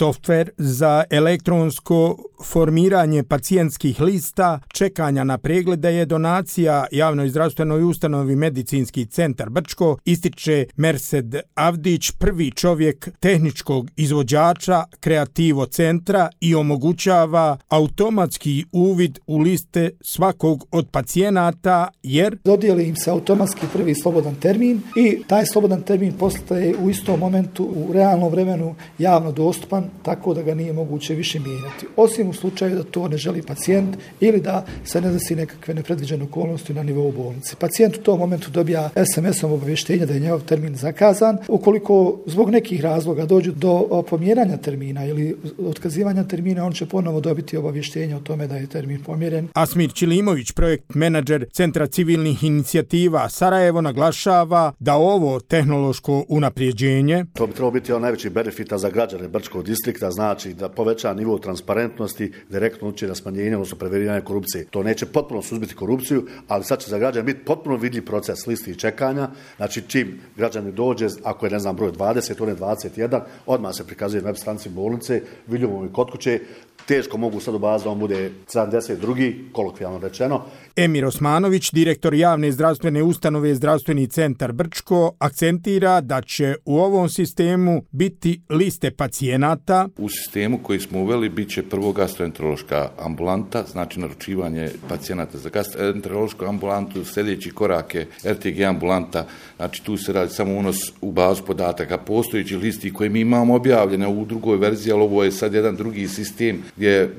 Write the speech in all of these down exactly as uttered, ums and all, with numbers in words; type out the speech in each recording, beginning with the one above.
softver za elektronsko formiranje pacijentskih lista čekanja na preglede je donacija javnoj zdravstvenoj ustanovi Medicinski centar Brčko, ističe Mersed Avdić, prvi čovjek tehničkog izvođača Kreativo centra i omogućava automatski uvid u liste svakog od pacijenata jer dodijeli im se automatski prvi slobodan termin i taj slobodan termin postaje u istom momentu u realnom vremenu javno dostupan, tako da ga nije moguće više mijenjati. Osim u slučaju da to ne želi pacijent ili da se ne desi nekakve nepredviđene okolnosti na nivou bolnice. Pacijent u tom momentu dobija es em esom obavještenje da je njegov termin zakazan. Ukoliko zbog nekih razloga dođu do pomjeranja termina ili otkazivanja termina, on će ponovo dobiti obavještenje o tome da je termin pomjeren. Asmir Ćilimović, projekt menadžer Centra civilnih inicijativa Sarajevo, naglašava da ovo tehnološko unapređenje to bi trebalo biti on najveći benefita za građane Brčkog distrikta, znači da poveća nivo transparentnosti, direktno uči na smanjenje, odnosno preveniranje korupcije. To neće potpuno suzbiti korupciju, ali sad će za građane biti potpuno vidljiv proces listi i čekanja. Znači čim građani dođe, ako je ne znam broj dvadeset, on je dvadeset jedan, odmah se prikazuje na web stranici bolnice, vidljivo i kod kuće. Teško mogu sad u bazi da on bude sedamdeset drugi, kolokvijalno rečeno. Emir Osmanović, direktor javne zdravstvene ustanove Zdravstveni centar Brčko, akcentira da će u ovom sistemu biti liste pacijenata. U sistemu koji smo uveli bit će prvo gastroenterološka ambulanta, znači naručivanje pacijenata za gastroenterološku ambulantu, sljedeći korak je er te ge ambulanta, znači tu se radi samo unos u bazu podataka postojeći listi koje mi imamo objavljene u drugoj verziji, ali ovo je sad jedan drugi sistem gdje je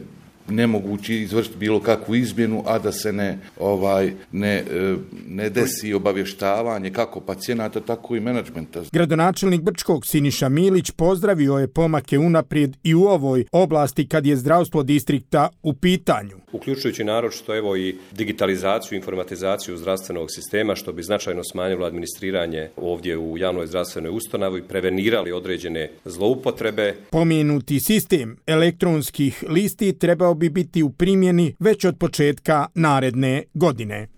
nemoguće izvršiti bilo kakvu izmjenu, a da se ne ovaj ne, ne desi obavještavanje kako pacijenata, tako i menadžmenta. Gradonačelnik Brčkog Siniša Milić pozdravio je pomake unaprijed i u ovoj oblasti kad je zdravstvo distrikta u pitanju. Uključujući naročito evo i digitalizaciju, informatizaciju zdravstvenog sistema, što bi značajno smanjilo administriranje ovdje u javnoj zdravstvenoj ustanovi i prevenirali određene zloupotrebe. Pomenuti sistem elektronskih listi trebao bi biti u primjeni već od početka naredne godine.